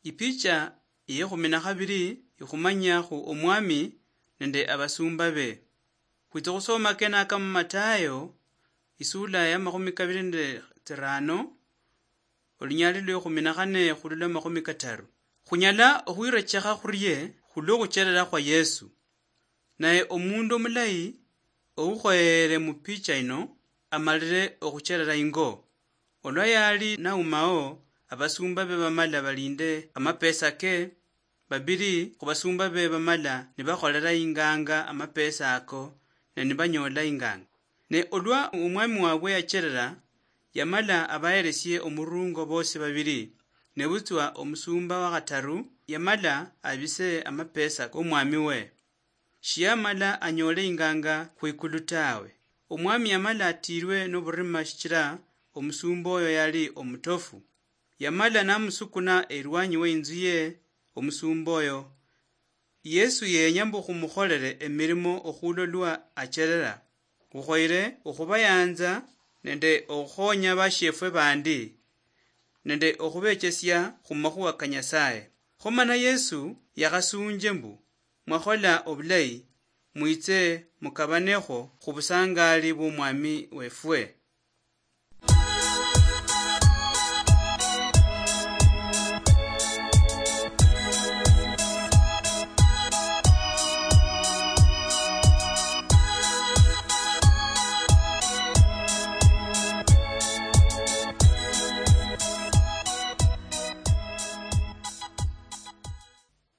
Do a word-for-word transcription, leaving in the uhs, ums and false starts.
Ipicha yekhumi na khabiri ikhumanyia khu Omwami nende abasumba be. Khwitsa khusoma kenaka mu Matayo, isula ya makhumi kabiri nende tsirano, olunyali lwa ekhumi na khane khulula makhumi kataru. Khunyala okhwirechekha khurie khulwo khucherera khwa Yesu. Naye omundu omulayi oukhoyere mu picha ino amalire okhucherera ingo. Olwa yali naumao, abasumba be bamala balinde amapesa ke, babiri khubasumba be bamala nibakholera inganga amapesa ako, ne nibanyola inganga. Ne olwa omwami wabwe yacherera, yamala abaheresie omurungo bosi babiri, nebutswa omusumba wakhataru yamala abise amapesa komwami we. Shiyamala anyole inganga khwikulu tawe. Omwami yamala atirwe noburima shichira omusumba oyo yali omutofu. Yamala namusukuna erwanyi weinzu ye omusumba oyo. Yesu yenya mbu khumukholere emirimo okhulolwa acherera. Khukhoyere okhubayanza nende okhukhonya bashiefwe bandi, nende okhubechesia khumakhuwa ka Nyasaye. Kho mana Yesu yakhasunje mbu, "Mwakhola obulayi, mwitse mukabanekho khubusangali bwomwami wefwe."